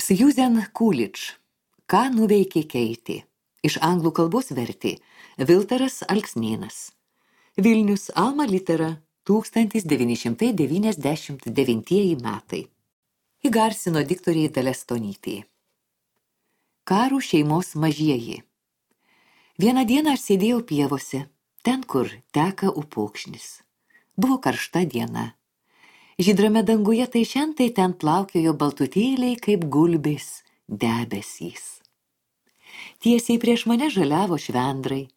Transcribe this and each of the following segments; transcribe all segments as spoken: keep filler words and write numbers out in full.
Susan Coolidge. Ką nuveikė Keitė? Iš anglų kalbos vertė Viltaras Alksnėnas. Vilnius Alma Litera, tūkstantis devyni šimtai devyniasdešimt devintieji metai. Įgarsino diktorė Dalia Stonytė. Karų šeimos mažieji. Vieną dieną aš sėdėjau pievose, ten, kur teka upokšnis. Buvo karšta diena. Žydrame danguje tai šentai ten plaukiojo baltutėliai kaip gulbės debesys. Tiesiai prieš mane žaliavo švendrai,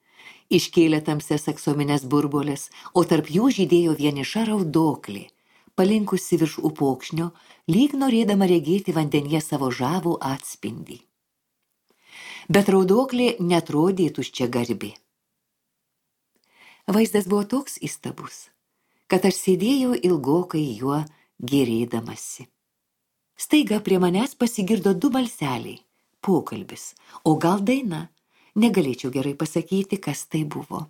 iškėlė tamsias aksominės burbolės, o tarp jų žydėjo vieniša raudoklė, palinkusi virš upokšnio, lyg norėdama regėti vandenyje savo žavų atspindį. Bet raudoklė netrodė tuščiagarbi. Vaizdas buvo toks įstabus, kad aš sėdėjau ilgokai juo gėrėdamasi. Staiga prie manęs pasigirdo du balseliai, pokalbis, o gal daina, negalėčiau gerai pasakyti, kas tai buvo.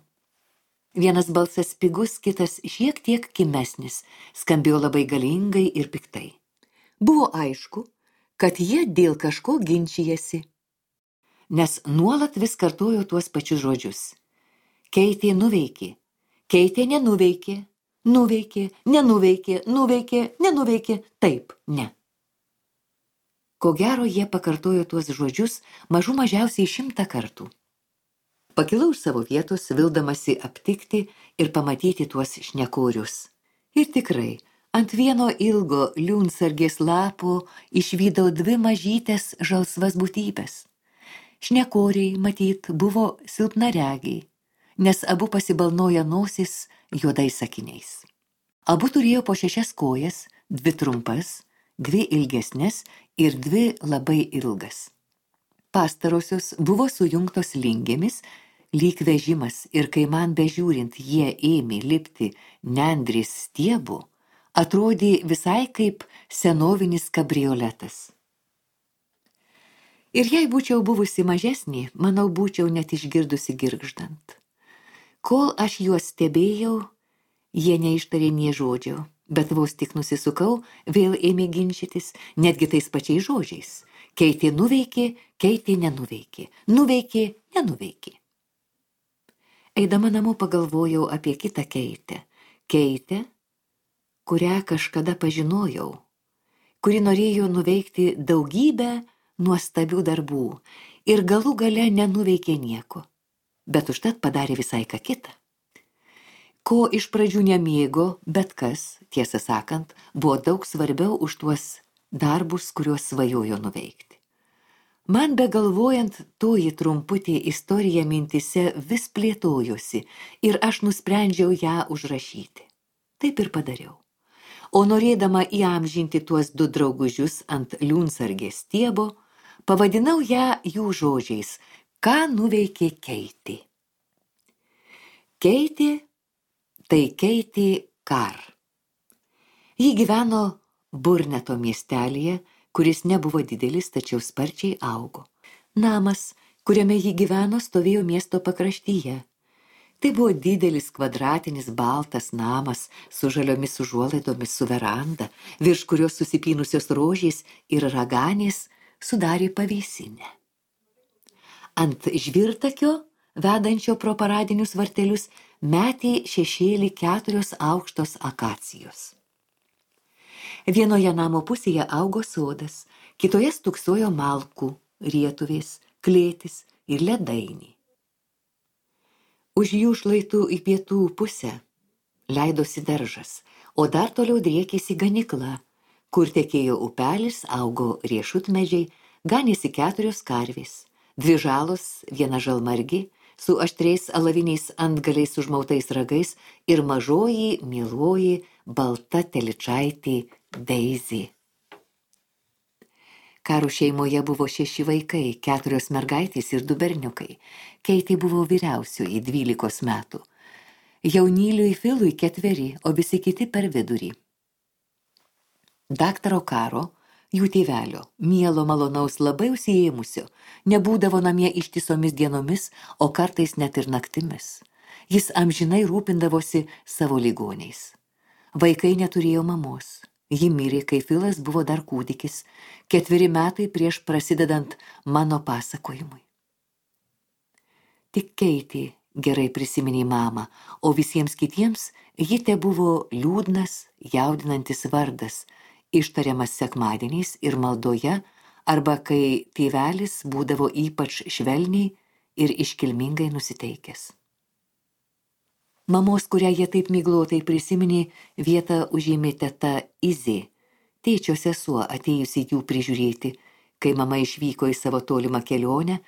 Vienas balsas pigus, kitas šiek tiek kimesnis, skambėjo labai galingai ir piktai. Buvo aišku, kad jie dėl kažko ginčijasi, nes nuolat vis kartojo tuos pačius žodžius. Keitė nuveikė, Keitė nenuveikė, nuveikė, nenuveikė, nuveikė, nenuveikė, taip, ne. Ko gero jie pakartojo tuos žodžius mažų mažiausiai šimtą kartų. Pakilau iš savo vietos, vildamasi aptikti ir pamatyti tuos šnekorius. Ir tikrai, ant vieno ilgo liunsargės lapo išvydau dvi mažytės žalsvas būtybės. Šnekoriai, matyt, buvo silpnaregiai, nes abu pasibalnoja nosis juodais sakiniais. Abu turėjo po šešias kojas, dvi trumpas, dvi ilgesnes ir dvi labai ilgas. Pastarosios buvo sujungtos lingėmis, lyg vežimas, ir kai man bežiūrint jie ėmė lipti nendrės stiebu, atrodė visai kaip senovinis kabrioletas. Ir jei būčiau buvusi mažesnė, manau, būčiau net išgirdusi girgždant. Kol aš juos stebėjau, jie neištarė nė žodžio, bet vos tik nusisukau, vėl ėmė ginčytis, netgi tais pačiais žodžiais. Keitė nuveikė, Keitė nenuveikė, nuveikė, nenuveikė. Eidama namo pagalvojau apie kitą Keitę. Keitę, kurią kažkada pažinojau, kuri norėjo nuveikti daugybę nuostabių darbų ir galų gale nenuveikė nieko, bet užtat padarė visai ką kitą. Ko iš pradžių nemėgo, bet kas, tiesą sakant, buvo daug svarbiau už tuos darbus, kuriuos svajojo nuveikti. Man begalvojant, toji trumputė istorija mintise vis plėtojosi ir aš nusprendžiau ją užrašyti. Taip ir padariau. O norėdama įamžinti tuos du draugužius ant liunsargės stiebo, pavadinau ją jų žodžiais, ką nuveikė Keitė. Keitė tai Keitė Kar. Ji gyveno Burneto miestelyje, kuris nebuvo didelis, tačiau sparčiai augo. Namas, kuriame ji gyveno, stovėjo miesto pakraštyje. Tai buvo didelis kvadratinis baltas namas su žaliomis užuolaidomis su veranda, virš kurios susipynusios rožės ir raganės sudarė pavėsinę. Ant žvirtakio, vedančio pro paradinius vartelius, metė šešėlį keturios aukštos akacijos. Vienoje namo pusėje augo sodas, kitoje stūksojo malkų, rietuvės, klėtis ir ledainiai. Už jų šlaitų į pietų pusę leidosi daržas, o dar toliau driekėsi ganykla, kur tekėjo upelis, augo riešutmedžiai, ganėsi keturios karvės, dvi žalos, viena žalmargi, su aštriais alaviniais antgaliais užmautais ragais ir mažoji, mieloji, balta telyčaitė Daisy. Karų šeimoje buvo šeši vaikai, keturios mergaitės ir du berniukai. Keitė buvo vyriausioji dvylikos metų. Jaunyliui Filui ketveri, o visi kiti per vidurį. Daktaro Karo, jų tėvelio, mielo malonaus labai užsiėmusio, nebūdavo namie ištisomis dienomis, o kartais net ir naktimis. Jis amžinai rūpindavosi savo ligoniais. Vaikai neturėjo mamos. Ji mirė, kai Filas buvo dar kūdikis, ketveri metai prieš prasidedant mano pasakojimui. Tik Keitė gerai prisiminė mamą, o visiems kitiems ji tebuvo liūdnas, jaudinantis vardas, ištariamas sekmadieniais ir maldoje, arba kai tėvelis būdavo ypač švelniai ir iškilmingai nusiteikęs. Mamos, kurią jie taip miglotai prisiminė, vietą užėmė teta Izė, tėčio sesuo atėjusi jų prižiūrėti, kai mama išvyko į savo tolimą kelionę,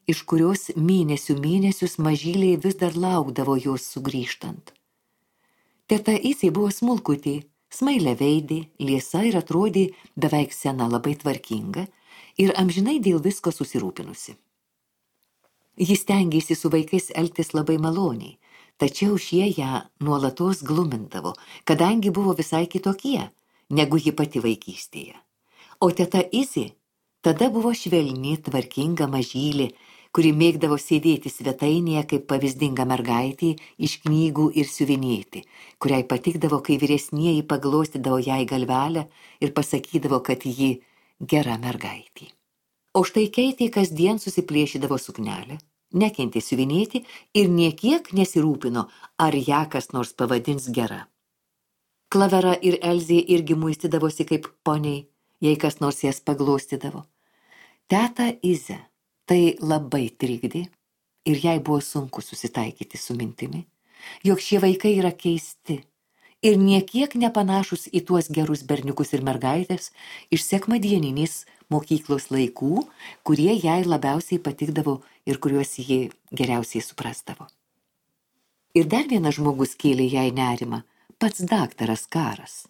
iš kurios mėnesių mėnesius mažyliai vis dar laukdavo jos sugrįžtant. Teta Izė buvo smulkutė, smailė veidė, liesa ir atrodė beveik sena, labai tvarkinga ir amžinai dėl visko susirūpinusi. Jis stengėsi su vaikais elgtis labai maloniai, tačiau šie ją nuolatos glumindavo, kadangi buvo visai kitokie, negu ji pati vaikystėje. O teta Izė tada buvo švelni, tvarkinga mažylė, kuri mėgdavo sėdėti svetainėje kaip pavyzdinga mergaitė iš knygų ir siuvinėti, kuriai patikdavo, kai vyresnieji paglostydavo jai galvelę ir pasakydavo, kad ji gera mergaitė. O štai Keitė kasdien susiplėšydavo suknelę, nekentė siuvinėti ir niekiek nesirūpino, ar ją kas nors pavadins gera. Klavera ir Elzė irgi muistydavosi kaip poniai, jei kas nors jas paglostydavo. Teta Izę tai labai trikdė ir jai buvo sunku susitaikyti su mintimi, jog šie vaikai yra keisti ir niekiek nepanašus į tuos gerus berniukus ir mergaitės iš sekmadieninės mokyklos laikų, kurie jai labiausiai patikdavo ir kuriuos ji geriausiai suprasdavo. Ir dar vienas žmogus kėlė jai nerimą, pats daktaras Karas.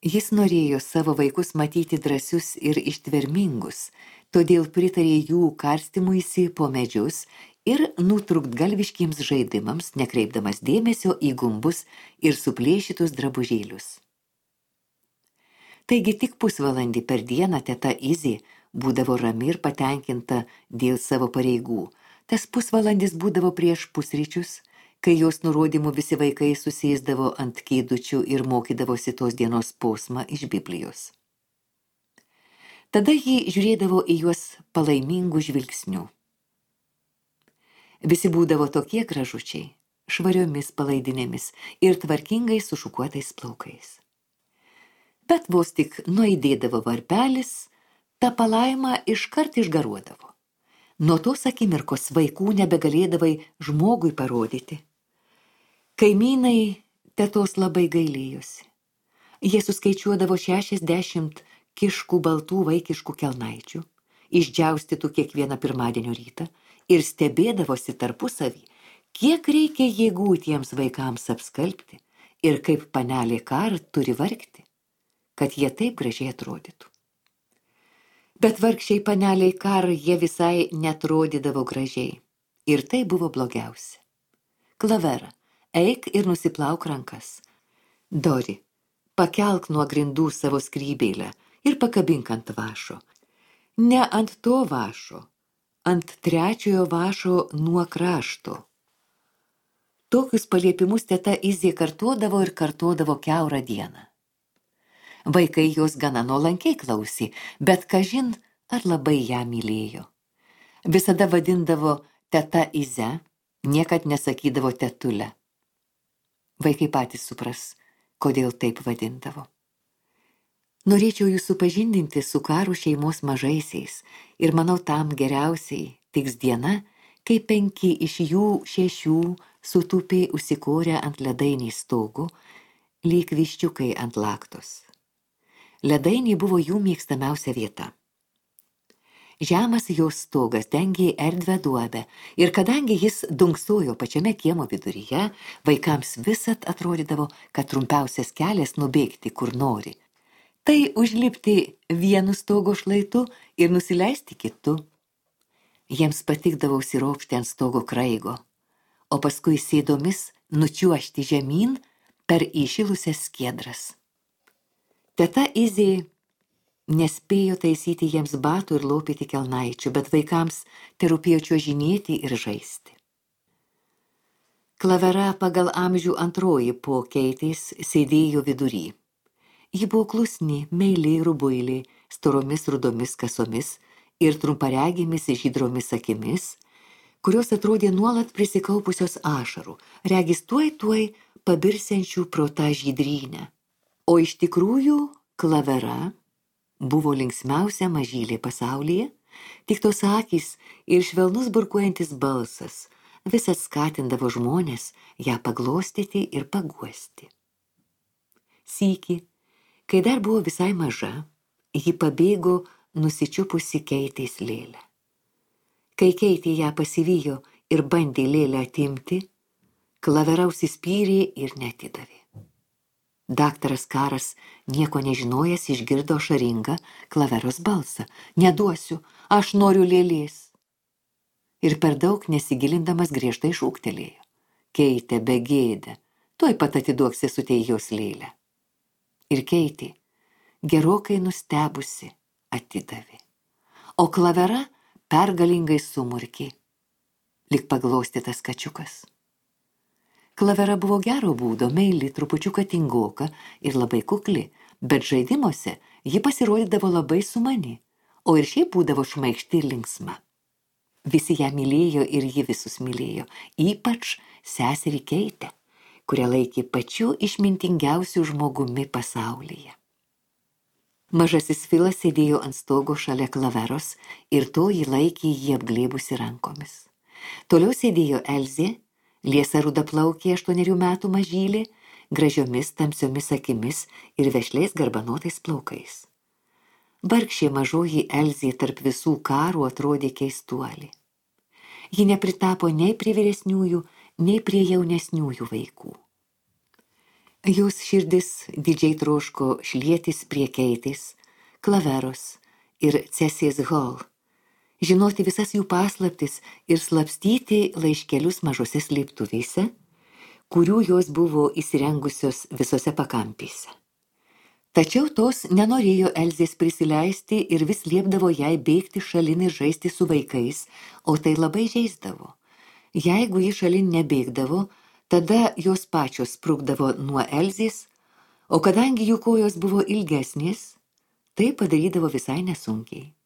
Jis norėjo savo vaikus matyti drąsius ir ištvermingus, todėl pritarė jų karstymuisi po medžius ir nutrūktgalviškiems žaidimams, nekreipdamas dėmesio į gumbus ir suplėšytus drabužėlius. Taigi tik pusvalandį per dieną teta Izė būdavo rami ir patenkinta dėl savo pareigų. Tas pusvalandis būdavo prieš pusryčius, kai jos nurodymų visi vaikai susėsdavo ant kėdučių ir mokydavosi tos dienos posmą iš Biblijos. Tada ji žiūrėdavo į juos palaimingų žvilgsnių. Visi būdavo tokie gražučiai, švariomis palaidinėmis ir tvarkingai sušukuotais plaukais. Bet vos tik nuaidėdavo varpelis, ta palaima iškart išgaruodavo. Nuo tos akimirkos vaikų nebegalėdavai žmogui parodyti. Kaimynai tetos labai gailėjosi. Jie suskaičiuodavo šešiasdešimt kiškų baltų vaikiškų kelnaičių, išdžiaustytų kiekvieną pirmadienio rytą ir stebėdavosi tarpusavį, kiek reikia jėgų tiems vaikams apskalbti ir kaip panelė Kar turi vargti, kad jie taip gražiai atrodytų. Bet vargšiai paneliai Kar jie visai netrodydavo gražiai. Ir tai buvo blogiausia. Klavera, eik ir nusiplauk rankas. Dori, pakelk nuo grindų savo skrybėlę ir pakabink ant vašo. Ne ant to vašo, ant trečiojo vašo nuo krašto. Tokius paliepimus teta Izė kartodavo ir kartodavo kiaurą dieną. Vaikai jos gana nuolankiai klausė, bet kažin ar labai ją mylėjo. Visada vadindavo teta Ize, niekad nesakydavo tetulę. Vaikai patys supras, kodėl taip vadindavo. Norėčiau jūs supažindinti su Karų šeimos mažaisiais ir manau tam geriausiai tiks diena, kai penki iš jų šešių sutūpė užsikorę ant ledainės stogų, lyg viščiukai ant laktos. Ledainiai buvo jų mėgstamiausia vieta. Žemas jos stogas dengė erdvę duobę ir kadangi jis dunksojo pačiame kiemo viduryje, vaikams visad atrodydavo, kad trumpiausias kelias nubėgti kur nori. Tai užlipti vienu stogo šlaitu ir nusileisti kitu. Jiems patikdavo užsiropšti ant stogo kraigo, o paskui sėdomis nučiuožti žemyn per įšilusias skiedras. Teta Izė nespėjo taisyti jiems batų ir lopyti kelnaičių, bet vaikams terūpėjo čiuožinėti ir žaisti. Klavera pagal amžių antroji po Keitės sėdėjo vidury. Ji buvo klusni, meiliai rubuiliai, storomis rudomis kasomis ir trumparegėmis žydromis akimis, kurios atrodė nuolat prisikaupusios ašarų, regis tuoj tuoj pabirsiančių pro tą žydrynę. O iš tikrųjų Klavera buvo linksmiausia mažylė pasaulyje, tik tos akys ir švelnus burkuojantis balsas visas skatindavo žmonės ją paglostyti ir paguosti. Sykį, kai dar buvo visai maža, ji pabėgo nusičiupusi Keitės lėlę. Kai Keitė ją pasivijo ir bandė lėlę atimti, Klavera užsispyrė ir neatidavė. Daktaras Karas, nieko nežinojęs, išgirdo ašaringą Klaveros balsą. Neduosiu, aš noriu lėlės. Ir per daug nesigilindamas griežtai šūktelėjo. Keitė, begėdę, tuoj pat atiduok sesutei jos lėlę. Ir Keitė, gerokai nustebusi, atidavė. O Klavera pergalingai sumurkė, lyg paglostytas kačiukas. Klavera buvo gero būdo, meili, trupučiuką tingoka ir labai kukli, bet žaidimuose ji pasirodydavo labai sumani, o ir šiaip būdavo šmaikšti ir linksma. Visi ją mylėjo ir ji visus mylėjo, ypač seserį Keitę, kurią laikė pačiu išmintingiausiu žmogumi pasaulyje. Mažasis Filas sėdėjo ant stogo šalia Klaveros ir to jį laikė jį apglėbusi rankomis. Toliau sėdėjo Elzė, liesa rudaplaukė aštuonerių metų mažylė, gražiomis tamsiomis akimis ir vešliais garbanotais plaukais. Vargšė mažoji Elzė tarp visų karų atrodė keistuolė. Ji nepritapo nei prie vyresniųjų, nei prie jaunesniųjų vaikų. Jos širdis didžiai troško šlietis prie Keitės, Klaveros ir Cesės Hall, žinoti visas jų paslaptis ir slapstyti laiškelius mažose slėptuvėse, kurių jos buvo įsirengusios visose pakampėse. Tačiau tos nenorėjo Elzės prisileisti ir vis liepdavo jai bėgti šalin ir žaisti su vaikais, o tai labai žeisdavo. Jeigu ji šalin nebėgdavo, tada jos pačios sprukdavo nuo Elzės, o kadangi jų kojos buvo ilgesnės, tai padarydavo visai nesunkiai.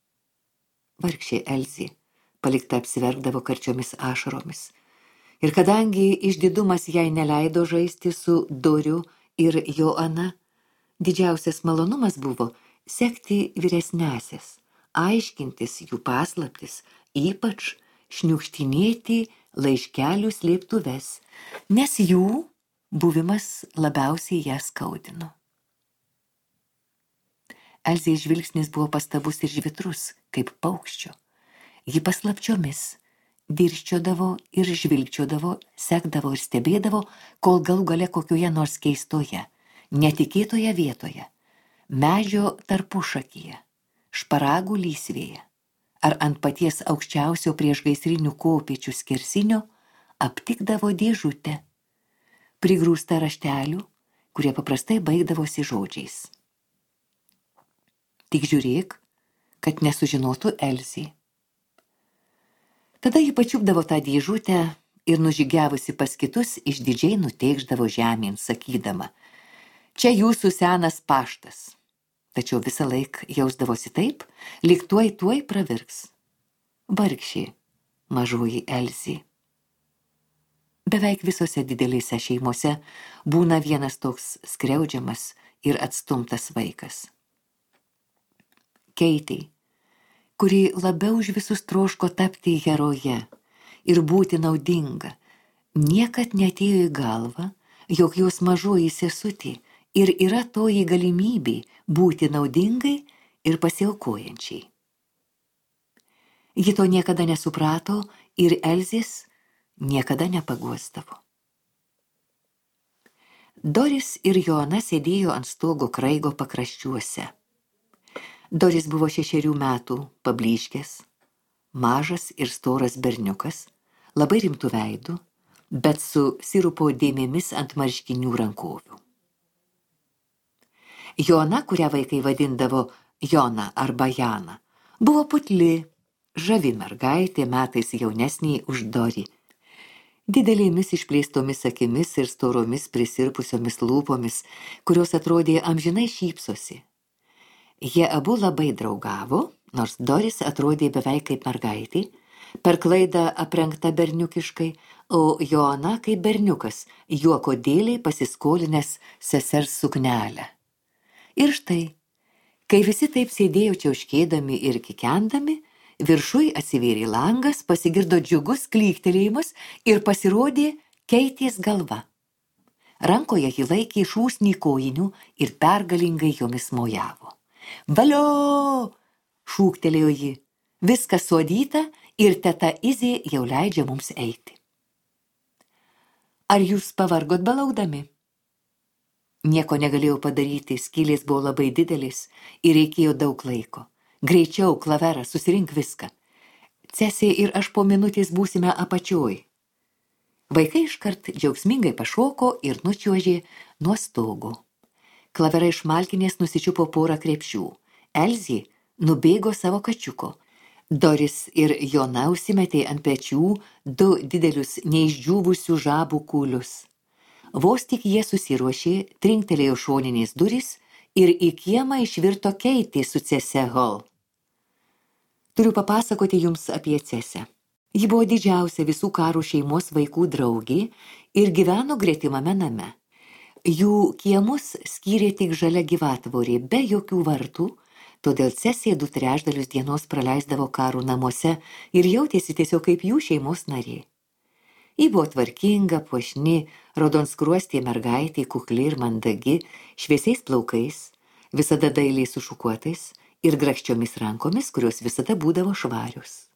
Vargšė Elzė palikta apsiverkdavo karčiomis ašaromis. Ir kadangi išdidumas jai neleido žaisti su Doriu ir Joana, didžiausias malonumas buvo sekti vyresnesias, aiškintis jų paslaptis, ypač šniukštinėti laiškelių slėptuves, nes jų buvimas labiausiai ją skaudino. Elzės žvilgsnis buvo pastabus ir žvitrus, kaip paukščio. Ji paslapčiomis dirsčiodavo ir žvilgčiodavo, sekdavo ir stebėdavo, kol galų gale kokioje nors keistoje, netikėtoje vietoje, medžio tarpušakyje, šparagų lysvėje, ar ant paties aukščiausio priešgaisrinių kopėčių skersinio aptikdavo dėžutę, prigrūstą raštelių, kurie paprastai baigdavosi žodžiais. Tik žiūrėk, kad nesužinotų Elzė. Tada ji pačiupdavo tą dėžutę ir nužygiavusi pas kitus išdidžiai nuteikšdavo žemėn, sakydama, čia jūsų senas paštas. Tačiau visą laik jausdavosi taip, lyg tuoj tuoj pravirks. Vargšė mažoji Elzė. Beveik visose didelėse šeimose būna vienas toks skriaudžiamas ir atstumtas vaikas. Keitė, kuri labiau už visus troško tapti heroje ir būti naudinga, niekad neatėjo į galvą, jog jos mažoji sesutė ir yra toji galimybė būti naudingai ir pasiaukojančiai. Ji to niekada nesuprato ir Elzės niekada nepaguosdavo. Doris ir Joana sėdėjo ant stogo kraigo pakraščiuose. Doris buvo šešerių metų, pablyškęs, mažas ir storas berniukas, labai rimtų veidų, bet su sirupo dėmėmis ant marškinių rankovių. Joana, kurią vaikai vadindavo Jona arba Jana, buvo putli, žavi mergaitė, metais jaunesnė už Dorį. didelėmis išplėstomis akimis ir storomis prisirpusiomis lūpomis, kurios atrodė amžinai šypsosi. Jie abu labai draugavo, nors Doris atrodė beveik kaip mergaitė, per klaidą aprengta berniukiškai, o Joana kaip berniukas, juoko dėliai pasiskolinęs sesers suknelę. Ir štai, kai visi taip sėdėjo čiauškėdami ir kikendami, viršui atsivėrė langas, pasigirdo džiugus klyktelėjimas ir pasirodė Keitės galva. Rankoje ji laikė šūsnį kojinių ir pergalingai jomis mojavo. Valio! Šūktelėjo ji. Viskas suodyta ir teta Izė jau leidžia mums eiti. Ar jūs pavargot belaukdami? Nieko negalėjau padaryti, skylės buvo labai didelis ir reikėjo daug laiko. Greičiau, Klavera, susirink viską. Cesė ir aš po minutės būsime apačioj. Vaikai iškart džiaugsmingai pašoko ir nučiuožė nuo stogo. Klavera iš malkinės nusičiupo porą krepšių. Elzė nubėgo savo kačiuko. Doris ir Jona užsimetė ant pečių du didelius neišdžiūvusių žabų kūlius. Vos tik jie susiruošė, trinktelėjo šoninės durys ir į kiemą išvirto Keitė su Cese Hall. Turiu papasakoti jums apie Cesę. Ji buvo didžiausia visų karų šeimos vaikų draugė ir gyveno gretimame name. Jų kiemus skyrė tik žalia gyvatvorė, be jokių vartų, todėl Cesė du trečdalius dienos praleisdavo karų namuose ir jautėsi tiesiog kaip jų šeimos narė. Ji buvo tvarkinga, puošni, raudonskruostė mergaitė, kukli ir mandagi, šviesiais plaukais, visada dailiai sušukuotais ir grakščiomis rankomis, kurios visada būdavo švarius.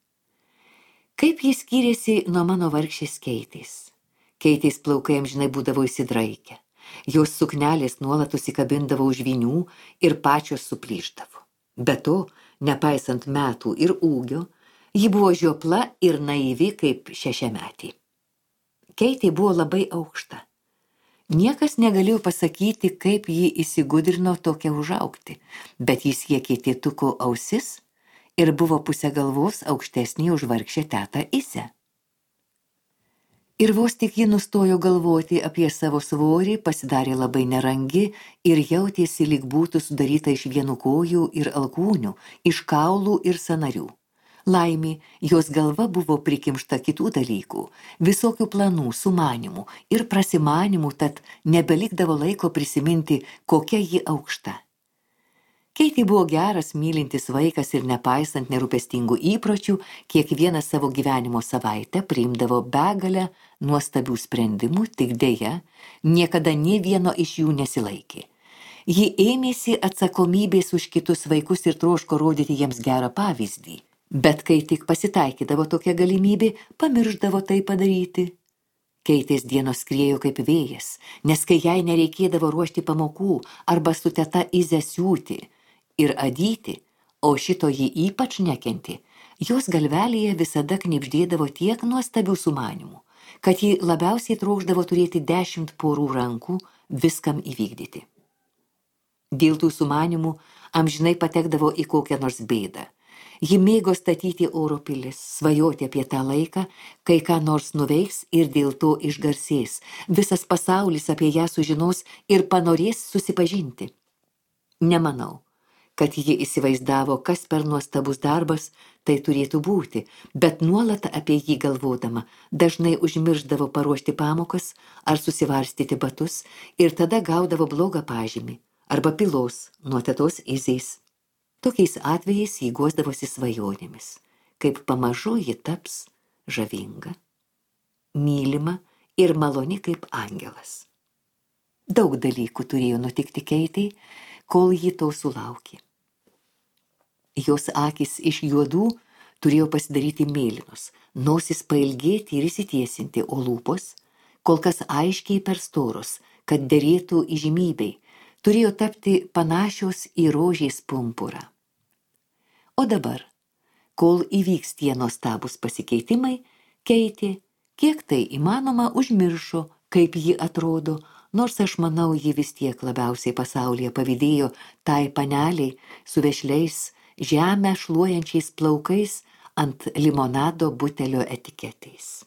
Kaip jis skyrėsi nuo mano vargšės Keitės. Keitės plaukai amžinai būdavo įsidraikę. Jos suknelės nuolat užsikabindavo už vinių ir pačios suplyšdavo. Be to, nepaisant metų ir ūgio, ji buvo žiopla ir naivi kaip šešiametė. Keitė buvo labai aukšta. Niekas negalėjo pasakyti, kaip ji įsigudrino tokia užaugti, bet jis siekė tėtuko ausis ir buvo pusę galvos aukštesnė už vargšę tetą Izę. Ir vos tik ji nustojo galvoti apie savo svorį, pasidarė labai nerangi ir jautėsi, lyg būtų sudaryta iš vienų kojų ir alkūnių, iš kaulų ir sąnarių. Laimė, jos galva buvo prikimšta kitų dalykų, visokių planų, sumanimų ir prasimanimų, tad nebelikdavo laiko prisiminti, kokia ji aukšta. Keitė buvo geras, mylintis vaikas ir nepaisant nerūpestingų įpročių, kiekvieną savo gyvenimo savaitę priimdavo begalę nuostabių sprendimų, tik deja, niekada nė vieno iš jų nesilaikė. Ji ėmėsi atsakomybės už kitus vaikus ir troško rodyti jiems gerą pavyzdį. Bet kai tik pasitaikydavo tokia galimybė, pamirždavo tai padaryti. Keitės dienos skriejo kaip vėjas, nes kai jai nereikėdavo ruošti pamokų arba su teta Ize siūti ir adyti, o šito ji ypač nekentė, jos galvelėje visada knibždėdavo tiek nuostabių sumanimų, kad ji labiausiai trokšdavo turėti dešimt porų rankų viskam įvykdyti. Dėl tų sumanimų amžinai patekdavo į kokią nors bėdą. Ji mėgo statyti oro pilis, svajoti apie tą laiką, kai ką nors nuveiks ir dėl to išgarsės. Visas pasaulis apie ją sužinos ir panorės susipažinti. Nemanau, kad ji įsivaizdavo, kas per nuostabus darbas tai turėtų būti, bet nuolat apie jį galvodama dažnai užmirždavo paruošti pamokas ar susivarstyti batus ir tada gaudavo blogą pažymį arba pylos nuo tetos Izės. Tokiais atvejais jį guosdavosi svajonėmis, kaip pamažu ji taps žavinga, mylima ir maloni kaip angelas. Daug dalykų turėjo nutikti Keitei, kol ji to sulaukė. Jos akys iš juodų turėjo pasidaryti mėlynos, nosis pailgėti ir įsitiesinti, o lūpos, kol kas aiškiai per storos, kad derėtų įžymybei, turėjo tapti panašios į rožės pumpurą. O dabar, kol įvyks tie nuostabūs pasikeitimai, Keitė, kiek tai įmanoma, užmiršo, kaip ji atrodo, nors aš manau, ji vis tiek labiausiai pasaulyje pavydėjo tai paneliai su vešliais, žemę šluojančiais plaukais ant limonado butelio etiketės.